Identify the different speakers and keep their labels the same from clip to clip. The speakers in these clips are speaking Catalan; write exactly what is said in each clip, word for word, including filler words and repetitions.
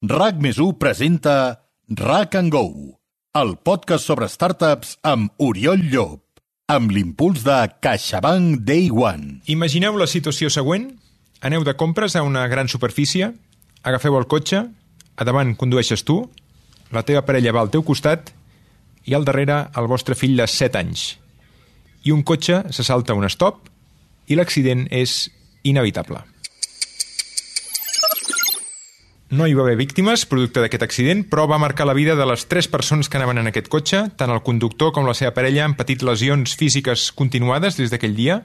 Speaker 1: RAC més u presenta RAC and Go, el podcast sobre startups amb Oriol Llop, amb l'impuls de CaixaBank Day One.
Speaker 2: Imagineu la situació següent. Aneu de compres a una gran superfície, agafeu el cotxe, a davant condueixes tu, la teva parella va al teu costat i al darrere el vostre fill de set anys. I un cotxe se salta un stop i l'accident és inevitable. No hi va haver víctimes producte d'aquest accident, però va marcar la vida de les tres persones que anaven en aquest cotxe. Tant el conductor com la seva parella han patit lesions físiques continuades des d'aquell dia.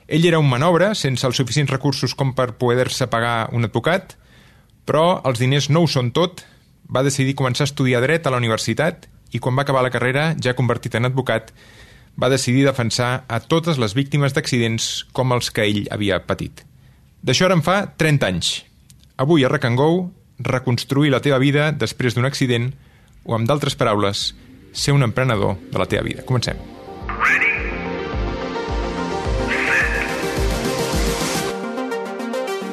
Speaker 2: Ell era un manobre, sense els suficients recursos com per poder-se pagar un advocat, però els diners no ho són tot. Va decidir començar a estudiar dret a la universitat i quan va acabar la carrera, ja convertit en advocat, va decidir defensar a totes les víctimes d'accidents com els que ell havia patit. D'això ara en fa trenta anys. Avui a RAC and Go, reconstruir la teva vida després d'un accident o, amb d'altres paraules, ser un emprenedor de la teva vida. Comencem.
Speaker 3: Ready, set,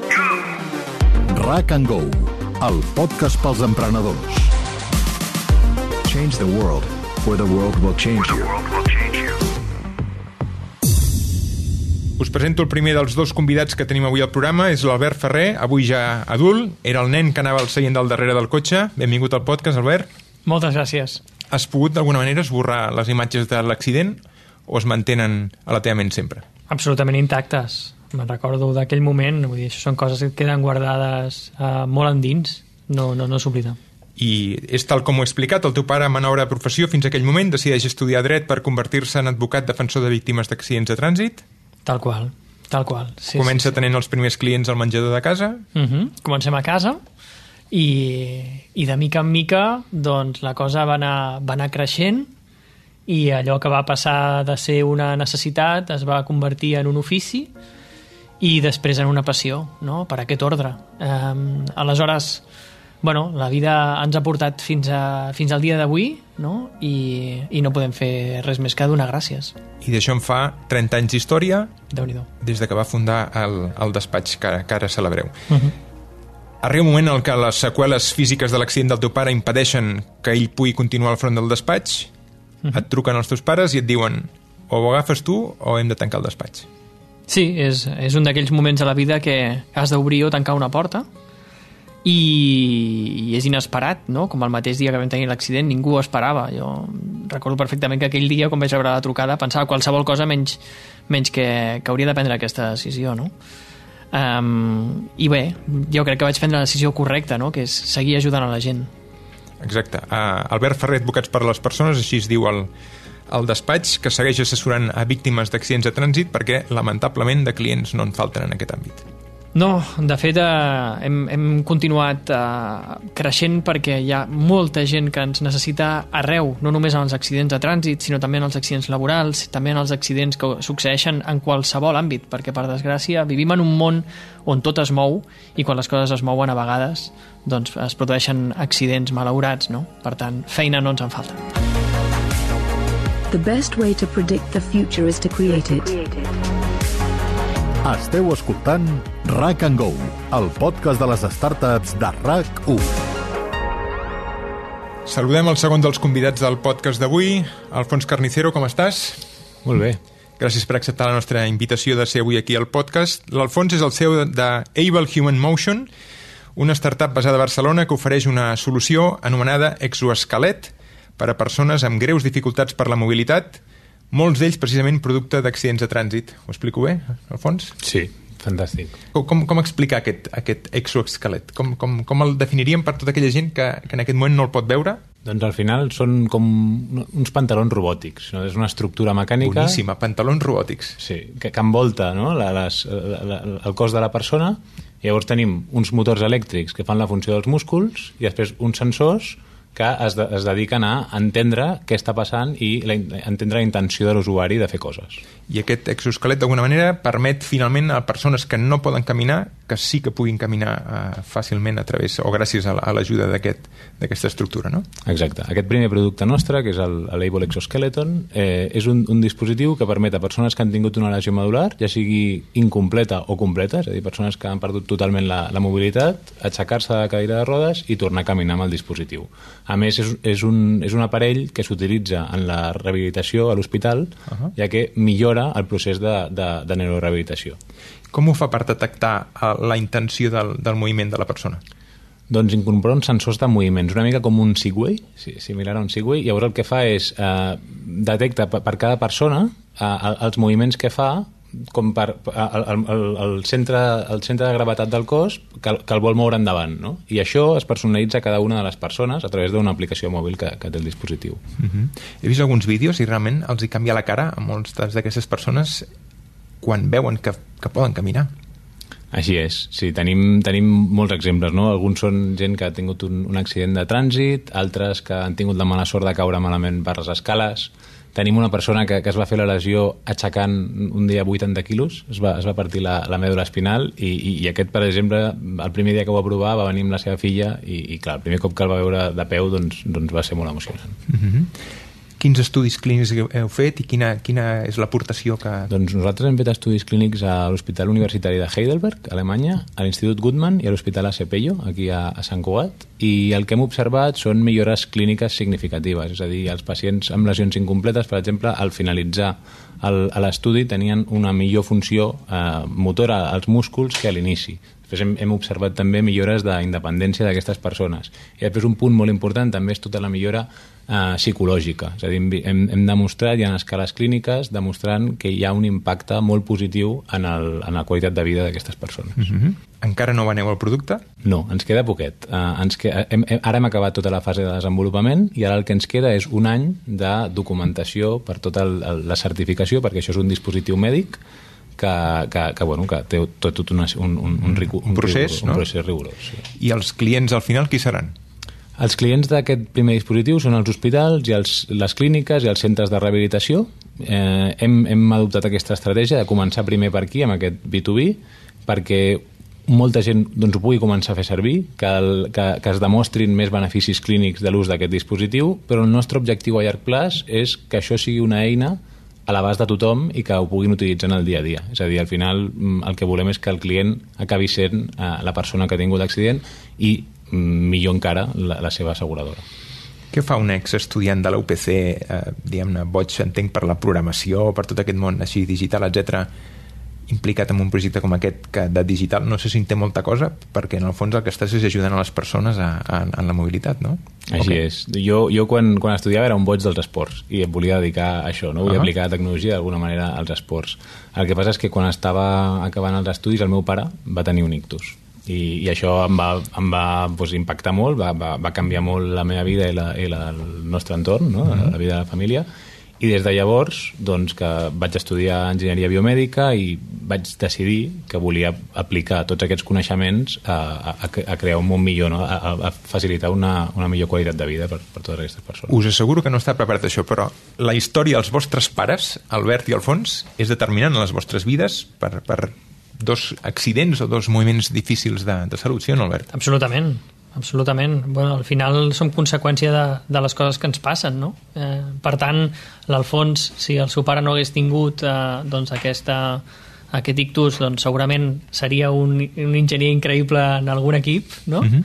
Speaker 3: go!
Speaker 1: RAC and Go, el podcast pels emprenedors.
Speaker 4: Change the world, or the world will change
Speaker 3: The
Speaker 4: you.
Speaker 3: world will change you.
Speaker 2: Us presento el primer dels dos convidats que tenim avui al programa. És l'Albert Ferrer, avui ja adult. Era el nen que anava al seient del darrere del cotxe. Benvingut al podcast, Albert.
Speaker 5: Moltes gràcies.
Speaker 2: Has pogut d'alguna manera esborrar les imatges de l'accident o es mantenen a la teva ment sempre?
Speaker 5: Absolutament intactes. Me'n recordo d'aquell moment, vull dir, això són coses que queden guardades uh, molt endins, no, no, no s'oblida.
Speaker 2: I és tal com ho he explicat, el teu pare, manobre de professió, fins a aquell moment decideix estudiar dret per convertir-se en advocat defensor de víctimes d'accidents de trànsit.
Speaker 5: Tal qual, tal qual. Sí,
Speaker 2: Comença
Speaker 5: sí, sí.
Speaker 2: tenint els primers clients al menjador de casa.
Speaker 5: Uh -huh. Comencem a casa i, i de mica en mica doncs, la cosa va anar, va anar creixent i allò que va passar de ser una necessitat es va convertir en un ofici i després en una passió, no?, per aquest ordre. Um, aleshores, bueno, la vida ens ha portat fins, a, fins al dia d'avui, no?, I, i no podem fer res més que donar gràcies.
Speaker 2: I d'això en fa trenta anys d'història,
Speaker 5: Déu-n'hi-do.
Speaker 2: des de que va fundar el, el despatx que, que ara celebreu.
Speaker 5: Uh -huh.
Speaker 2: Arriba un moment en què les seqüeles físiques de l'accident del teu pare impedeixen que ell pugui continuar al front del despatx. Uh -huh. Et truquen els teus pares i et diuen o ho agafes tu o hem de tancar el despatx.
Speaker 5: Sí, és, és un d'aquells moments a la vida que has d'obrir o tancar una porta i, i és inesperat, no? Com el mateix dia que vam tenir l'accident, ningú ho esperava. Jo recordo perfectament que aquell dia, quan vaig rebre la trucada, pensava qualsevol cosa menys, menys que, que hauria de prendre aquesta decisió, no? Um, I bé, jo crec que vaig prendre la decisió correcta, no?, que és seguir ajudant a la gent.
Speaker 2: Exacte. Uh, Albert Ferrer, Advocats per a les Persones, així es diu el, el despatx, que segueix assessorant a víctimes d'accidents de trànsit perquè, lamentablement, de clients no en falten en aquest àmbit.
Speaker 5: No, de fet eh, hem, hem continuat eh, creixent perquè hi ha molta gent que ens necessita arreu, no només en els accidents de trànsit, sinó també en els accidents laborals, també en els accidents que succeeixen en qualsevol àmbit, perquè per desgràcia vivim en un món on tot es mou i quan les coses es mouen a vegades doncs es produeixen accidents malaurats, no? Per tant, feina no ens en falta.
Speaker 6: The best way to predict the future is to create it.
Speaker 1: Esteu escoltant RAC and Go, el podcast de les startups de RAC u.
Speaker 2: Saludem el segon dels convidats del podcast d'avui. Alfons Carnicero, com estàs?
Speaker 7: Molt bé.
Speaker 2: Gràcies per acceptar la nostra invitació de ser avui aquí al podcast. L'Alfons és el C E O de Able Human Motion, una startup basada a Barcelona que ofereix una solució anomenada Exoesquelet per a persones amb greus dificultats per la mobilitat, molts d'ells precisament producte d'accidents de trànsit. Ho explico bé, Alfons?
Speaker 7: Sí, fantàstic.
Speaker 2: Com, com, com explicar aquest, aquest exoesquelet? Com, com, com el definiríem per tota aquella gent que, que en aquest moment no el pot veure?
Speaker 7: Doncs al final són com uns pantalons robòtics, no? És una estructura mecànica...
Speaker 2: Boníssima, pantalons robòtics.
Speaker 7: Sí, que, que envolta, no?, la, les, la, la, el cos de la persona, i llavors tenim uns motors elèctrics que fan la funció dels músculs i després uns sensors que es, de, es dediquen a entendre què està passant i la, entendre la intenció de l'usuari de fer coses.
Speaker 2: I aquest exoesquelet, d'alguna manera, permet finalment a persones que no poden caminar que sí que puguin caminar uh, fàcilment a través, o gràcies a, a l'ajuda d'aquest, d'aquesta estructura, no?
Speaker 7: Exacte. Aquest primer producte nostre, que és el, el Able Exoskeleton, eh, és un, un dispositiu que permet a persones que han tingut una lesió medular, ja sigui incompleta o completa, és a dir, persones que han perdut totalment la, la mobilitat, aixecar-se de la cadira de rodes i tornar a caminar amb el dispositiu. A més, és, és, un, és un aparell que s'utilitza en la rehabilitació a l'hospital, uh-huh. ja que millora el procés de, de, de neurorehabilitació.
Speaker 2: Com ho fa per detectar la intenció del, del moviment de la persona?
Speaker 7: Doncs incorpora uns sensors de moviments, una mica com un Segway, similar a un Segway. Llavors el que fa és eh, detecta per, per cada persona eh, els moviments que fa, com per el, el, el, centre, el centre de gravetat del cos que, que el vol moure endavant, no? I això es personalitza a cada una de les persones a través d'una aplicació mòbil que, que té el dispositiu.
Speaker 2: Uh-huh. He vist alguns vídeos i realment els hi canvia la cara a moltes d'aquestes persones quan veuen que, que poden caminar.
Speaker 7: Així és, sí, tenim, tenim molts exemples, no? Alguns són gent que ha tingut un, un accident de trànsit, altres que han tingut la mala sort de caure malament per les escales. Tenim una persona que, que es va fer la lesió aixecant un dia vuitanta quilos, es va, es va partir la, la mèdula espinal i, i, i aquest, per exemple, el primer dia que ho va provar va venir amb la seva filla i, i clar, el primer cop que el va veure de peu doncs, doncs va ser molt emocionant.
Speaker 2: Mm-hmm. Quins estudis clínics heu fet i quina, quina és l'aportació que...
Speaker 7: Doncs nosaltres hem fet estudis clínics a l'Hospital Universitari de Heidelberg, a Alemanya, a l'Institut Guttmann i a l'Hospital A C Pello, aquí a, a Sant Cugat, i el que hem observat són millores clíniques significatives, és a dir, els pacients amb lesions incompletes, per exemple, al finalitzar el, a l'estudi tenien una millor funció eh, motora als músculs que a l'inici. Després hem, hem observat també millores d'independència d'aquestes persones. I després un punt molt important també és tota la millora eh, psicològica. És a dir, hem, hem demostrat, hi ha escales clíniques demostrant que hi ha un impacte molt positiu en, el, en la qualitat de vida d'aquestes persones.
Speaker 2: Mm-hmm. Encara no veneu el producte?
Speaker 7: No, ens queda poquet. Uh, ens que, hem, hem, ara hem acabat tota la fase de desenvolupament i ara el que ens queda és un any de documentació per tota el, el, la certificació, perquè això és un dispositiu mèdic que, que, que, bueno, que té tot, tot una, un, un, un, rigu, un,
Speaker 2: procés,
Speaker 7: rigor,
Speaker 2: no?
Speaker 7: un procés rigorós. Sí.
Speaker 2: I els clients al final qui seran?
Speaker 7: Els clients d'aquest primer dispositiu són els hospitals i els, les clíniques i els centres de rehabilitació. Eh, hem, hem adoptat aquesta estratègia de començar primer per aquí, amb aquest B dos B, perquè molta gent doncs, ho pugui començar a fer servir, que, el, que, que es demostrin més beneficis clínics de l'ús d'aquest dispositiu, però el nostre objectiu a llarg plaç és que això sigui una eina a l'abast de tothom i que ho puguin utilitzar en el dia a dia. És a dir, al final el que volem és que el client acabi sent eh, la persona que ha tingut l'accident i, millor encara, la, la seva asseguradora.
Speaker 2: Què fa un ex-estudiant de la U P C, eh, diguem-ne, boig, entenc, per la programació, per tot aquest món així digital, etcètera, implicat en un projecte com aquest que de digital, no sé si en té molta cosa, perquè en el fons el que estàs és ajudant a les persones a, a, a la mobilitat, no?
Speaker 7: Així okay. és. Jo, jo quan, quan estudiava era un boig dels esports i em volia dedicar a això, no? Volia uh-huh. aplicar la tecnologia d'alguna manera als esports. El que passa és que quan estava acabant els estudis el meu pare va tenir un ictus i, i això em va, em va doncs, impactar molt, va, va, va canviar molt la meva vida i, la, i la, el nostre entorn, no? uh-huh. la vida de la família. I des de llavors doncs, que vaig estudiar enginyeria biomèdica i vaig decidir que volia aplicar tots aquests coneixements a, a, a crear un món millor, no? a, a facilitar una, una millor qualitat de vida per, per totes aquestes persones.
Speaker 2: Us asseguro que no està preparat això, però la història dels vostres pares, Albert i Alfons, és determinant en les vostres vides per, per dos accidents o dos moviments difícils de, de salut, sí o no, Albert?
Speaker 5: Absolutament. Absolutament. Bueno, al final som conseqüència de, de les coses que ens passen, no? Eh, per tant, l'Alfons, si el seu pare no hagués tingut eh, doncs aquesta, aquest ictus, doncs segurament seria un, un enginyer increïble en algun equip, no? Uh-huh.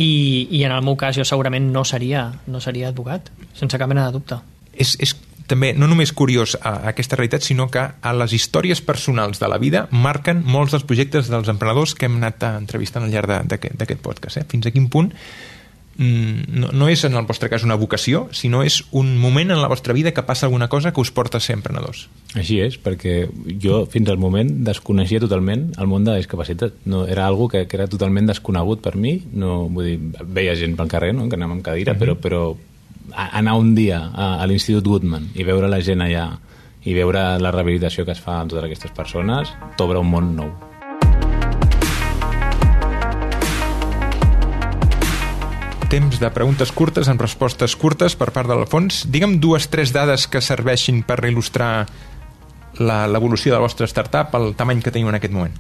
Speaker 5: I, I en el meu cas jo segurament no seria, no seria advocat, sense cap mena de dubte.
Speaker 2: És, és també no només curiós a, a aquesta realitat, sinó que a les històries personals de la vida marquen molts dels projectes dels emprenedors que hem anat entrevistant al llarg d'aquest podcast. Eh? Fins a quin punt mm, no, no és en el vostre cas una vocació, sinó és un moment en la vostra vida que passa alguna cosa que us porta a ser emprenedors.
Speaker 7: Així és, perquè jo fins al moment desconeixia totalment el món de la discapacitat. No, era algo que, que era totalment desconegut per mi. No, vull dir, veia gent pel carrer, no? Que anàvem amb cadira, uh-huh. però, però anar un dia a, a l'Institut Guttmann i veure la gent allà i veure la rehabilitació que es fa amb totes aquestes persones t'obre un món nou.
Speaker 2: Temps de preguntes curtes amb respostes curtes per part de l'Alfons. Digue'm dues, tres dades que serveixin per il·lustrar la, l'evolució de la vostra startup, el tamany que teniu en aquest moment.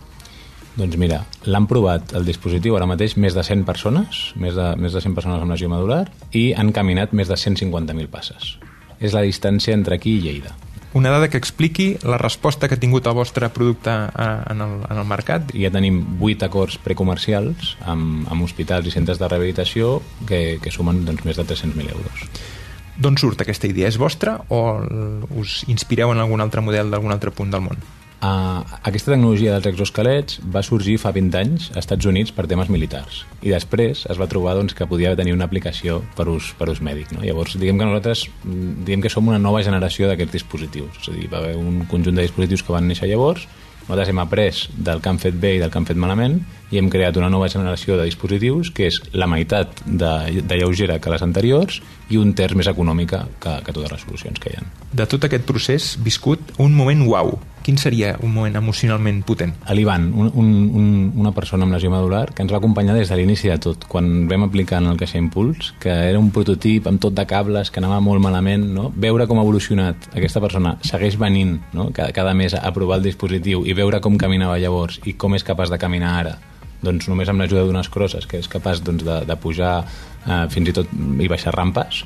Speaker 7: Doncs mira, l'han provat el dispositiu ara mateix més de cent persones, més de, més de cent persones amb lesió medular, i han caminat més de cent cinquanta mil passes. És la distància entre aquí i Lleida.
Speaker 2: Una dada que expliqui la resposta que ha tingut el vostre producte en el, en el mercat.
Speaker 7: Ja tenim vuit acords precomercials amb, amb hospitals i centres de rehabilitació que, que sumen doncs, més de tres-cents mil euros.
Speaker 2: D'on surt aquesta idea? És vostra o us inspireu en algun altre model d'algun altre punt del món?
Speaker 7: Uh, aquesta tecnologia dels exoesquelets va sorgir fa vint anys als Estats Units per temes militars i després es va trobar doncs, que podia tenir una aplicació per ús, per ús mèdic, no? Llavors diguem que nosaltres diguem que som una nova generació d'aquests dispositius, és a dir, va haver un conjunt de dispositius que van néixer llavors, nosaltres hem après del que han fet bé i del que han fet malament i hem creat una nova generació de dispositius que és la meitat de, de lleugera que les anteriors i un terç més econòmica que, que totes les solucions que hi ha.
Speaker 2: De tot aquest procés viscut un moment uau. Quin seria un moment emocionalment potent?
Speaker 7: L'Ivan, un, un, un, una persona amb lesió medular que ens va acompanyar des de l'inici de tot, quan vam aplicar en el Caixa Impuls, que era un prototip amb tot de cables, que anava molt malament, no? Veure com ha evolucionat aquesta persona, segueix venint, no? cada, cada mes a provar el dispositiu i veure com caminava llavors i com és capaç de caminar ara, doncs només amb l'ajuda d'unes crosses, que és capaç doncs, de, de pujar eh, fins i tot i baixar rampes,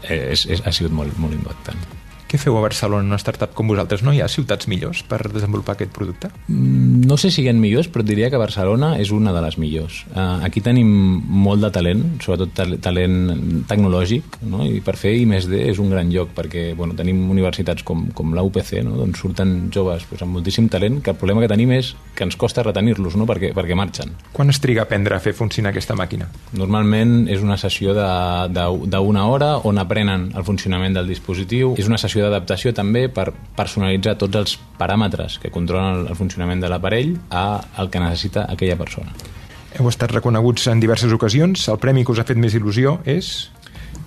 Speaker 7: eh, és, és, ha sigut molt, molt impactant.
Speaker 2: Què feu a Barcelona, una startup com vosaltres? No hi ha ciutats millors per desenvolupar aquest producte?
Speaker 7: No sé si hi ha millors, però et diria que Barcelona és una de les millors. Uh, aquí tenim molt de talent, sobretot ta- talent tecnològic, no? I per fer I més D és un gran lloc, perquè bueno, tenim universitats com, com la U P C, no? D'on surten joves pues, amb moltíssim talent, que el problema que tenim és que ens costa retenir-los, no? perquè, perquè marxen.
Speaker 2: Quan es triga a aprendre a fer funcionar aquesta màquina?
Speaker 7: Normalment és una sessió de, de, d'una hora on aprenen el funcionament del dispositiu. És una sessió d'adaptació també per personalitzar tots els paràmetres que controlen el funcionament de l'aparell a el que necessita aquella persona.
Speaker 2: Heu estat reconeguts en diverses ocasions. El premi que us ha fet més il·lusió és?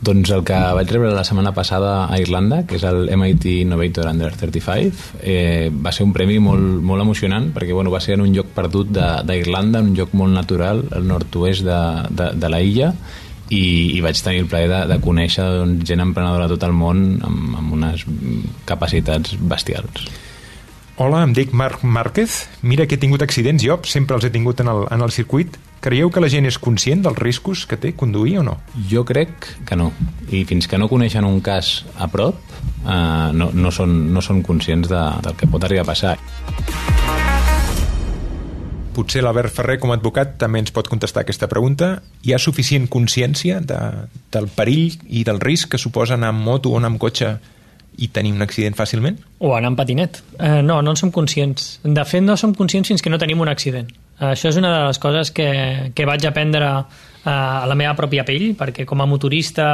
Speaker 7: Doncs el que vaig rebre la setmana passada a Irlanda, que és el M I T Innovator Under trenta-cinc, eh, va ser un premi molt, molt emocionant perquè bueno, va ser en un lloc perdut d'Irlanda, un lloc molt natural, al nord-oest de, de, de la illa, i, i vaig tenir el plaer de, de conèixer doncs, gent emprenedora de tot el món amb, amb unes capacitats bestials.
Speaker 2: Hola, em dic Marc Márquez. Mira que he tingut accidents, jo sempre els he tingut en el, en el circuit. Creieu que la gent és conscient dels riscos que té conduir o no?
Speaker 7: Jo crec que no. I fins que no coneixen un cas a prop, eh, no, no, són, no són conscients de, del que pot arribar a passar.
Speaker 2: Potser l'Albert Ferrer, com a advocat, també ens pot contestar aquesta pregunta. Hi ha suficient consciència de, del perill i del risc que suposa anar amb moto o anar amb cotxe i tenir un accident fàcilment?
Speaker 5: O anar amb patinet. Eh, no, no en som conscients. De fet, no som conscients fins que no tenim un accident. Això és una de les coses que, que vaig aprendre eh, a la meva pròpia pell, perquè com a motorista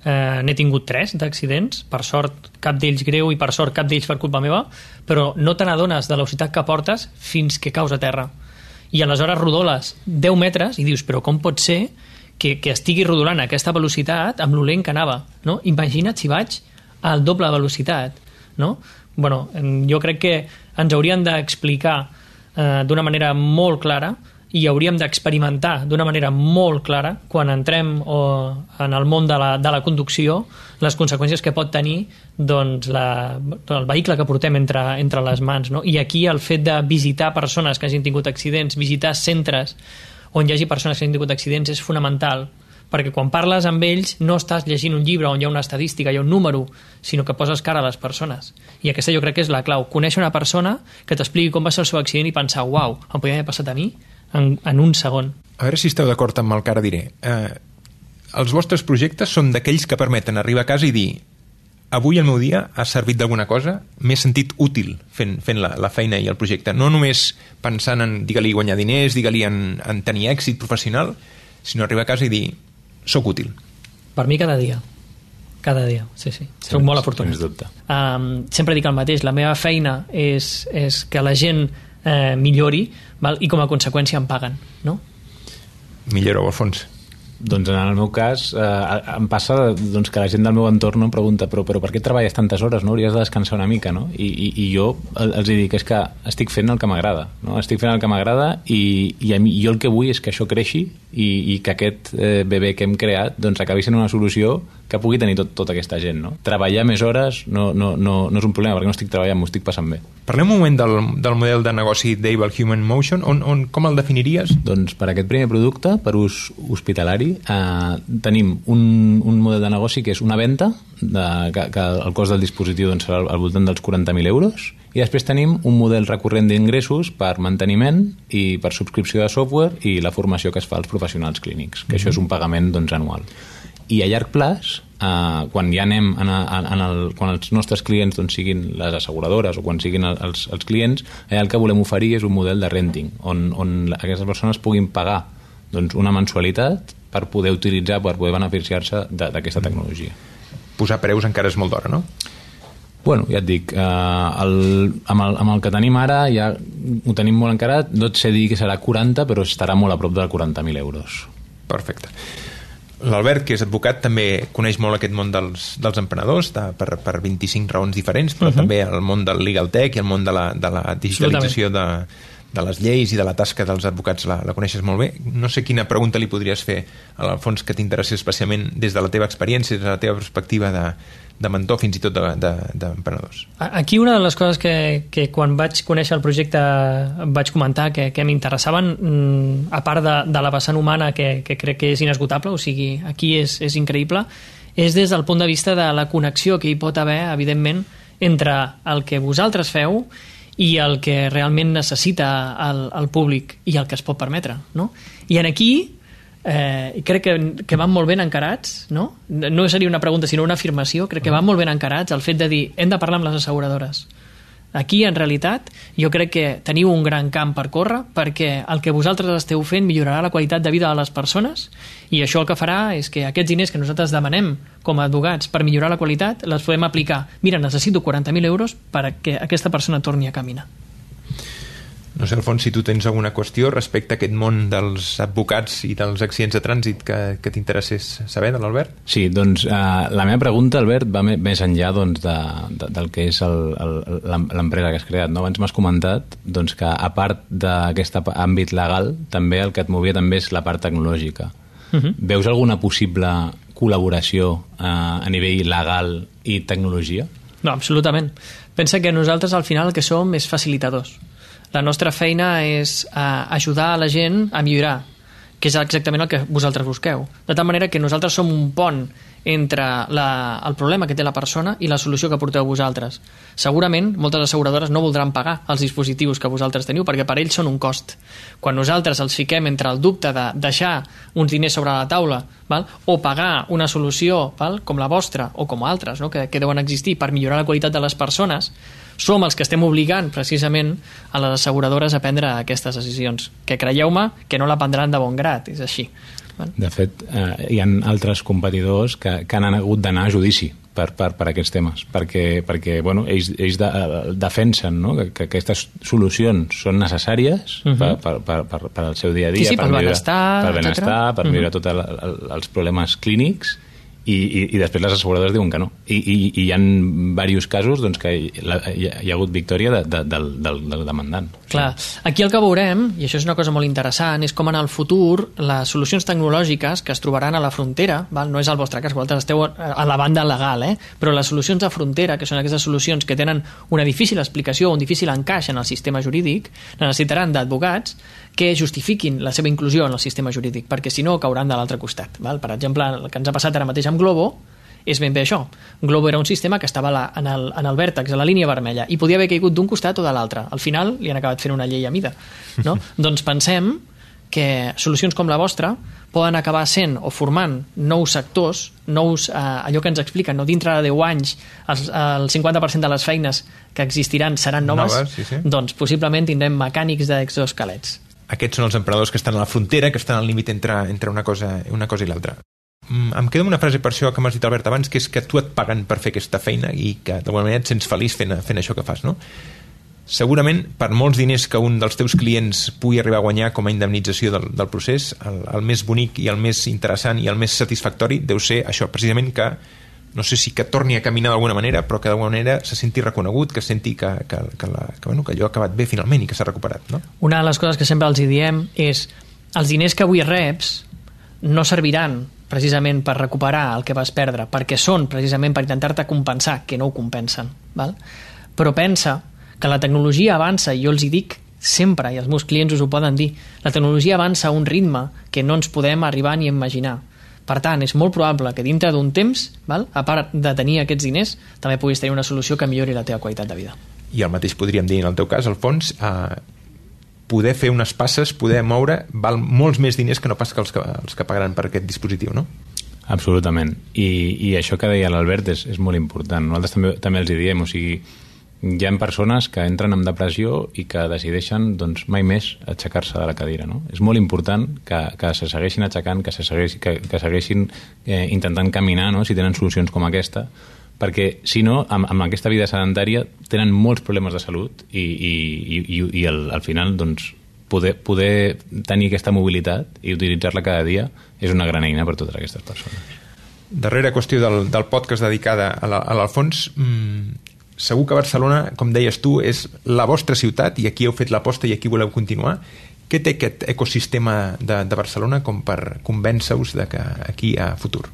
Speaker 5: eh, n'he tingut tres d'accidents, per sort cap d'ells greu i per sort cap d'ells per culpa meva, però no te n'adones de la velocitat que portes fins que caus a terra. I aleshores rodoles deu metres i dius, però com pot ser que, que estigui rodolant a aquesta velocitat amb lo lent que anava, no? Imagina't si vaig al doble velocitat, no? Bueno, jo crec que ens haurien d'explicar eh, d'una manera molt clara i hauríem d'experimentar d'una manera molt clara quan entrem o, en el món de la, de la conducció les conseqüències que pot tenir doncs, la, el vehicle que portem entre, entre les mans, no? I aquí el fet de visitar persones que hagin tingut accidents, visitar centres on hi hagi persones que hagin tingut accidents és fonamental, perquè quan parles amb ells no estàs llegint un llibre on hi ha una estadística, hi ha un número, sinó que poses cara a les persones. I aquesta jo crec que és la clau, conèixer una persona que t'expliqui com va ser el seu accident i pensar, uau, em podria haver passat a mi en, en un segon.
Speaker 2: A veure si esteu d'acord amb el que ara diré. Eh, els vostres projectes són d'aquells que permeten arribar a casa i dir avui el meu dia ha servit d'alguna cosa, m'he sentit útil fent, fent la, la feina i el projecte. No només pensant en, digue-li, guanyar diners, digue-li en, en tenir èxit professional, sinó arribar a casa i dir soc útil.
Speaker 5: Per mi cada dia. Cada dia, sí, sí. sí soc molt afortunat. Um, sempre dic el mateix, la meva feina és, és que la gent eh, millori, val? I com a conseqüència em paguen, no?
Speaker 2: Milloreu, Alfons.
Speaker 7: Doncs en el meu cas eh, em passa doncs, que la gent del meu entorn em pregunta però, però per què treballes tantes hores? No? Hauries de descansar una mica, no? I, i, i jo els dic és que estic fent el que m'agrada, no? Estic fent el que m'agrada i, i a mi, jo el que vull és que això creixi i, i que aquest eh, bebè que hem creat doncs, acabi sent una solució que pugui tenir tot, tota aquesta gent, no? Treballar més hores no, no, no, no és un problema perquè no estic treballant, m'ho estic passant bé.
Speaker 2: Parlem un moment del, del model de negoci d'Able Human Motion. On, on, com el definiries?
Speaker 7: Doncs per aquest primer producte, per ús hospitalari, eh, tenim un, un model de negoci que és una venda, de, que, que el cost del dispositiu doncs, serà al voltant dels quaranta mil euros, i després tenim un model recurrent d'ingressos per manteniment i per subscripció de software i la formació que es fa als professionals clínics, que mm-hmm. això és un pagament doncs, anual. I a llarg plaç, eh, quan ja anem en, a, en el, quan els nostres clients doncs, siguin les asseguradores o quan siguin els, els clients, allà el que volem oferir és un model de renting on, on aquestes persones puguin pagar doncs, una mensualitat per poder utilitzar, per poder beneficiar-se d'aquesta tecnologia.
Speaker 2: Posar preus encara és molt d'hora, no?
Speaker 7: Bueno, ja et dic, eh, el, amb, el, amb el que tenim ara ja ho tenim molt encarat, no et sé dir que serà quaranta, però estarà molt a prop de quaranta mil euros.
Speaker 2: Perfecte. L'Albert, que és advocat, també coneix molt aquest món dels, dels emprenedors de, per, per vint-i-cinc raons diferents, però uh-huh. també el món del legal tech i el món de la, de la digitalització de, de les lleis i de la tasca dels advocats la, la coneixes molt bé. No sé quina pregunta li podries fer a l'Alfons que t'interessi especialment des de la teva experiència, des de la teva perspectiva de, de mentor, fins i tot d'emprenedors. De, de,
Speaker 5: Aquí una de les coses que, que quan vaig conèixer el projecte vaig comentar que, que m'interessaven, a part de, de la vessant humana que, que crec que és inesgotable, o sigui, aquí és, és increïble, és des del punt de vista de la connexió que hi pot haver, evidentment, entre el que vosaltres feu i el que realment necessita el, el públic i el que es pot permetre, no? I en aquí eh, crec que, que van molt ben encarats, no? No seria una pregunta sinó una afirmació, crec que van molt ben encarats el fet de dir hem de parlar amb les asseguradores. Aquí en realitat jo crec que teniu un gran camp per córrer perquè el que vosaltres esteu fent millorarà la qualitat de vida de les persones i això el que farà és que aquests diners que nosaltres demanem com a advocats per millorar la qualitat les podem aplicar. Mira, necessito quaranta mil euros perquè aquesta persona torni a caminar.
Speaker 2: No sé, Alfons, si tu tens alguna qüestió respecte a aquest món dels advocats i dels accidents de trànsit que, que t'interessés saber de l'Albert?
Speaker 7: Sí, doncs eh, la meva pregunta, Albert, va més enllà doncs, de, de, del que és l'empresa que has creat. No? Abans m'has comentat doncs, que a part d'aquest àmbit legal, també el que et movia també és la part tecnològica. Uh-huh. Veus alguna possible col·laboració eh, a nivell legal i tecnologia?
Speaker 5: No, absolutament. Pensa que nosaltres al final el que som és facilitadors. La nostra feina és eh, ajudar a la gent a millorar, que és exactament el que vosaltres busqueu. De tal manera que nosaltres som un pont entre la, el problema que té la persona i la solució que porteu vosaltres. Segurament moltes asseguradores no voldran pagar els dispositius que vosaltres teniu perquè per ells són un cost. Quan nosaltres els fiquem entre el dubte de deixar uns diners sobre la taula, val? O pagar una solució, val? Com la vostra o com altres, no? que, que deuen existir per millorar la qualitat de les persones, som els que estem obligant precisament a les asseguradores a prendre aquestes decisions, que creieu-me que no la prendran de bon grat, és així.
Speaker 7: De fet, eh, hi ha altres competidors que, que han hagut d'anar a judici per, per, per aquests temes, perquè, perquè bueno, ells, ells de, defensen no? que, que aquestes solucions són necessàries uh-huh. per, per, per, per, per al seu dia a dia,
Speaker 5: sí, sí,
Speaker 7: per,
Speaker 5: per benestar,
Speaker 7: per, benestar, per uh-huh. millorar tots el, el, els problemes clínics. I, i, i després les asseguradores diuen que no. I, i, i hi ha diversos casos doncs, que hi, la, hi, ha, hi ha hagut victòria de, de, del, del, del demandant.
Speaker 5: Clar, aquí el que veurem, i això és una cosa molt interessant, és com en el futur les solucions tecnològiques que es trobaran a la frontera, val? No és el vostre cas, vosaltres esteu a la banda legal, eh? Però les solucions de frontera, que són aquestes solucions que tenen una difícil explicació, un difícil encaix en el sistema jurídic, necessitaran d'advocats que justifiquin la seva inclusió en el sistema jurídic, perquè si no cauran de l'altre costat. Val? Per exemple, el que ens ha passat ara mateix amb Globo és ben bé això. Globo era un sistema que estava la, en, el, en el vèrtex, a la línia vermella, i podia haver caigut d'un costat o de l'altre. Al final li han acabat fent una llei a mida. No? Doncs pensem que solucions com la vostra poden acabar sent o formant nous sectors, nous, eh, allò que ens expliquen, no? Dintre de deu anys el, el cinquanta per cent de les feines que existiran seran noves,
Speaker 2: noves sí, sí.
Speaker 5: Doncs possiblement tindrem mecànics d'exoesquelets.
Speaker 2: Aquests són els emprenedors que estan a la frontera, que estan al límit entre, entre una cosa, una cosa i l'altra. Mm, em queda una frase per això que m'has dit, Albert, abans, que és que tu et paguen per fer aquesta feina i que d'alguna manera et sents feliç fent, fent això que fas, no? Segurament, per molts diners que un dels teus clients pugui arribar a guanyar com a indemnització del, del procés, el, el més bonic i el més interessant i el més satisfactori deu ser això, precisament que, no sé si que torni a caminar d'alguna manera, però que d'alguna manera se senti reconegut, que senti que, que, que, la, que, bueno, que allò ha acabat bé finalment i que s'ha recuperat, no?
Speaker 5: Una de les coses que sempre els hi diem és els diners que avui reps no serviran precisament per recuperar el que vas perdre, perquè són precisament per intentar-te compensar, que no ho compensen, val? Però pensa que la tecnologia avança, i jo els hi dic sempre, i els meus clients us ho poden dir, la tecnologia avança a un ritme que no ens podem arribar ni a imaginar. Per tant, és molt probable que dintre d'un temps, val, a part de tenir aquests diners, també puguis tenir una solució que millori la teva qualitat de vida.
Speaker 2: I el mateix podríem dir en el teu cas, Alfons, eh, poder fer unes passes, poder moure, val molts més diners que no pas que els que, els que pagaran per aquest dispositiu, no?
Speaker 7: Absolutament. I, i això que deia l'Albert és, és molt important. Nosaltres també, també els hi diem, o sigui, hi ha persones que entren en depressió i que decideixen doncs, mai més aixecar-se de la cadira, no? És molt important que, que se segueixin aixecant, que, se segueixin, que, que segueixin eh, intentant caminar, no? Si tenen solucions com aquesta, perquè si no, amb, amb aquesta vida sedentària tenen molts problemes de salut i, i, i, i al, al final doncs, poder, poder tenir aquesta mobilitat i utilitzar-la cada dia és una gran eina per a totes aquestes persones.
Speaker 2: Darrera qüestió del, del podcast dedicada a l'Alfons, mmm, segur que Barcelona, com deies tu, és la vostra ciutat i aquí heu fet l'aposta i aquí voleu continuar. Què té aquest ecosistema de, de Barcelona com per convèncer-us de que aquí hi ha futur?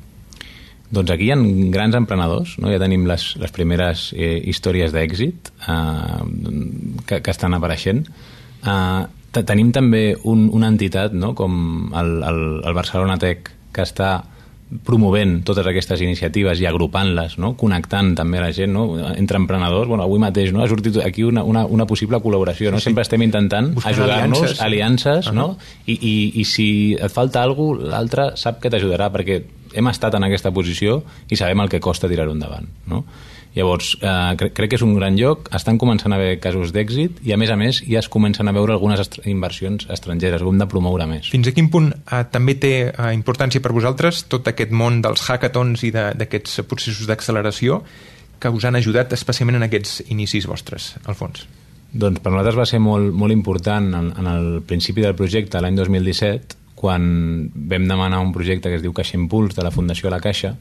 Speaker 7: Doncs aquí hi ha grans emprenedors, no? Ja tenim les, les primeres eh, històries d'èxit eh, que, que estan apareixent. Eh, tenim també un, una entitat, no? Com el, el, el Barcelona Tech, que està promovent totes aquestes iniciatives i agrupant-les, no? Connectant també a la gent, no? Entre emprenedors. Bueno, avui mateix, no? Ha sortit aquí una, una, una possible col·laboració, no? Sí, sí. Sempre estem intentant ajudar-nos, aliances, aliances uh-huh. no? I, i, i si et falta alguna cosa, l'altre sap que t'ajudarà, perquè hem estat en aquesta posició i sabem el que costa tirar-ho endavant, no? Llavors, eh, cre crec que és un gran lloc, estan començant a haver casos d'èxit i, a més a més, ja es comencen a veure algunes est inversions estrangeres, ho hem de promoure més.
Speaker 2: Fins a quin punt eh, també té eh, importància per vosaltres tot aquest món dels hackathons i d'aquests processos d'acceleració que us han ajudat especialment en aquests inicis vostres, Alfons?
Speaker 7: Doncs per nosaltres va ser molt, molt important en, en el principi del projecte, l'any dos mil disset, quan vam demanar un projecte que es diu Caixa Impuls de la Fundació La Caixa,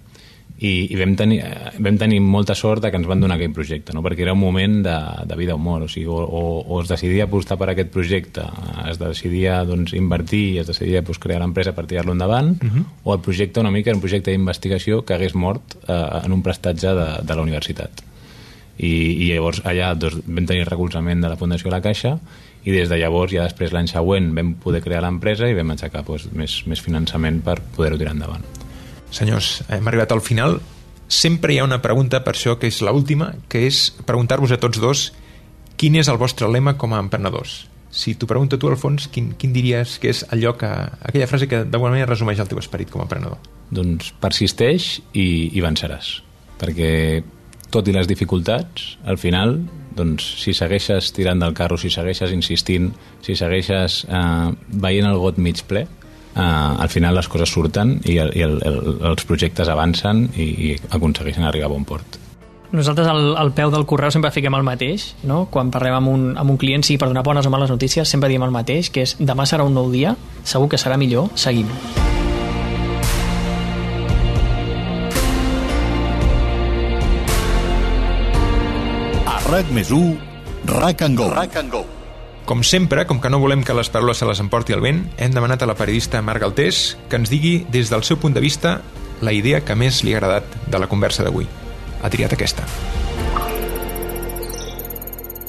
Speaker 7: i, i vam, tenir, vam tenir molta sort que ens van donar aquell projecte, no? Perquè era un moment de, de vida o mort, o sigui, o, o, o es decidia apostar per aquest projecte, es decidia doncs, invertir, es decidia doncs, crear l'empresa per tirar-lo endavant, uh-huh. o el projecte una mica era un projecte d'investigació que hagués mort eh, en un prestatge de, de la universitat. I, i llavors allà doncs, vam tenir recolzament de la Fundació La Caixa i des de llavors, ja després l'any següent vam poder crear l'empresa i vam aixecar doncs, més, més finançament per poder-ho tirar endavant.
Speaker 2: Senyors, hem arribat al final. Sempre hi ha una pregunta, per això que és l'última, que és preguntar-vos a tots dos quin és el vostre lema com a emprenedors. Si t'ho pregunto tu, Alfons, quin, quin diries que és allò que, aquella frase que d'alguna manera resumeix el teu esperit com a emprenedor?
Speaker 7: Doncs persisteix i, i venceràs, perquè tot i les dificultats, al final, doncs, si segueixes tirant del carro, si segueixes insistint, si segueixes eh, veient el got mig ple, eh, al final les coses surten i, el, i el, el, els projectes avancen i, i aconsegueixen arribar a bon port.
Speaker 5: Nosaltres al, al peu del correu sempre fiquem el mateix, no? Quan parlem amb un, amb un client, sigui per donar bones o males notícies, sempre diem el mateix, que és demà serà un nou dia, segur que serà millor, seguim.
Speaker 1: RAC més u, RAC and Go. RAC and Go.
Speaker 2: Com sempre, com que no volem que les paraules se les emporti el vent, hem demanat a la periodista Mar Galtés que ens digui, des del seu punt de vista, la idea que més li ha agradat de la conversa d'avui. Ha triat aquesta.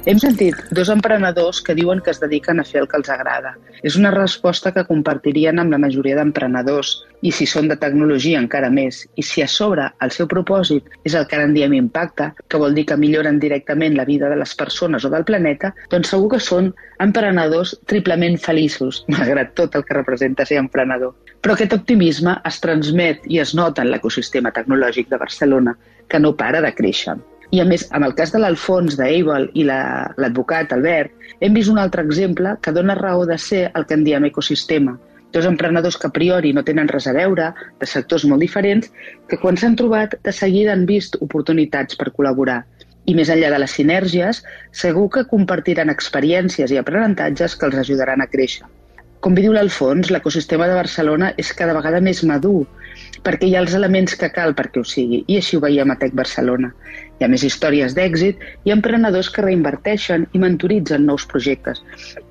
Speaker 8: Hem sentit dos emprenedors que diuen que es dediquen a fer el que els agrada. És una resposta que compartirien amb la majoria d'emprenedors, i si són de tecnologia encara més. I si a sobre el seu propòsit és el que ara en diem impacte, que vol dir que milloren directament la vida de les persones o del planeta, doncs segur que són emprenedors triplement feliços, malgrat tot el que representa ser emprenedor. Però aquest optimisme es transmet i es nota en l'ecosistema tecnològic de Barcelona, que no para de créixer. I a més, en el cas de l'Alfons, d'Able i l'advocat Albert, hem vist un altre exemple que dona raó de ser el que en diem ecosistema. Dos emprenedors que a priori no tenen res a veure, de sectors molt diferents, que quan s'han trobat de seguida han vist oportunitats per col·laborar. I més enllà de les sinergies, segur que compartiran experiències i aprenentatges que els ajudaran a créixer. Com bé diu l'Alfons, l'ecosistema de Barcelona és cada vegada més madur, perquè hi ha els elements que cal perquè ho sigui, i així ho veiem a Tech Barcelona. Hi ha més històries d'èxit i emprenedors que reinverteixen i mentoritzen nous projectes,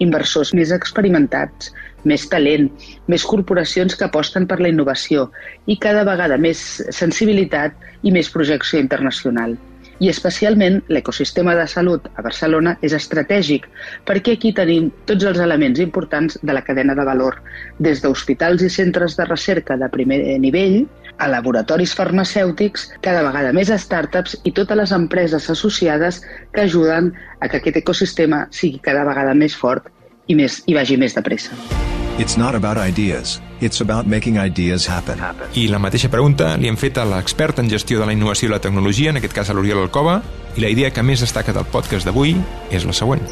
Speaker 8: inversors més experimentats, més talent, més corporacions que aposten per la innovació i cada vegada més sensibilitat i més projecció internacional. I especialment l'ecosistema de salut a Barcelona és estratègic perquè aquí tenim tots els elements importants de la cadena de valor, des d'hospitals i centres de recerca de primer nivell a laboratoris farmacèutics, cada vegada més startups i totes les empreses associades que ajuden a que aquest ecosistema sigui cada vegada més fort i, més, i vagi més de pressa.
Speaker 4: It's not about ideas, it's about making ideas happen.
Speaker 2: I la mateixa pregunta li hem fet a l'expert en gestió de la innovació i la tecnologia, en aquest cas a l'Oriol Alcoba, i la idea que més destaca del podcast d'avui és la següent.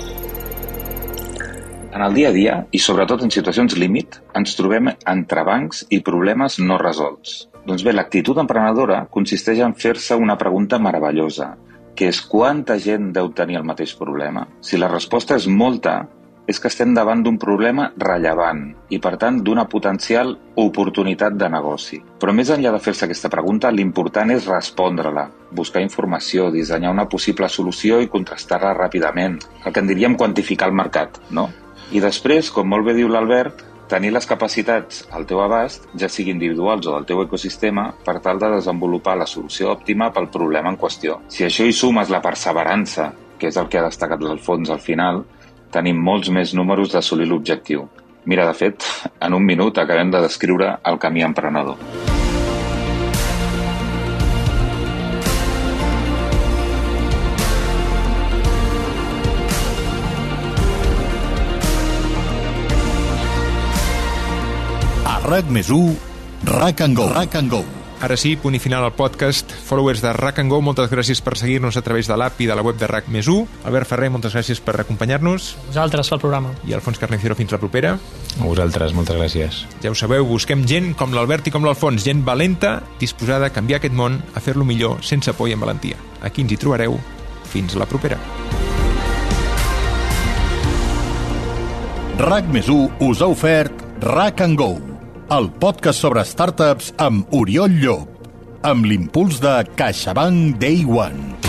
Speaker 9: En el dia a dia, i sobretot en situacions límit, ens trobem entrebancs i problemes no resolts. Doncs bé, l'actitud emprenedora consisteix en fer-se una pregunta meravellosa, que és quanta gent deu tenir el mateix problema? Si la resposta és molta, és que estem davant d'un problema rellevant i, per tant, d'una potencial oportunitat de negoci. Però més enllà de fer-se aquesta pregunta, l'important és respondre-la, buscar informació, dissenyar una possible solució i contrastar-la ràpidament, el que en diríem quantificar el mercat, no? I després, com molt bé diu l'Albert, tenir les capacitats al teu abast, ja sigui individuals o del teu ecosistema, per tal de desenvolupar la solució òptima pel problema en qüestió. Si això hi sumes la perseverança, que és el que ha destacat l'Alfons al final, tenim molts més números d'assolir l'objectiu. Mira, de fet, en un minut acabem de descriure el camí emprenedor.
Speaker 1: A RAC més u, Rack and Go. Rack and Go.
Speaker 2: Ara sí, punt i final al podcast. Followers de Rack and Go, moltes gràcies per seguir-nos a través de l'app i de la web de RAC més u. Albert Ferrer, moltes gràcies per acompanyar-nos.
Speaker 5: A vosaltres pel programa.
Speaker 2: I Alfons Carnicero, fins la propera.
Speaker 7: A vosaltres, moltes gràcies.
Speaker 2: Ja ho sabeu, busquem gent com l'Albert i com l'Alfons, gent valenta, disposada a canviar aquest món, a fer-lo millor, sense por i amb valentia. Aquí ens hi trobareu. Fins la propera.
Speaker 1: RAC més u us ha ofert Rack and Go, el podcast sobre startups amb Oriol Llop, amb l'impuls de CaixaBank Day One.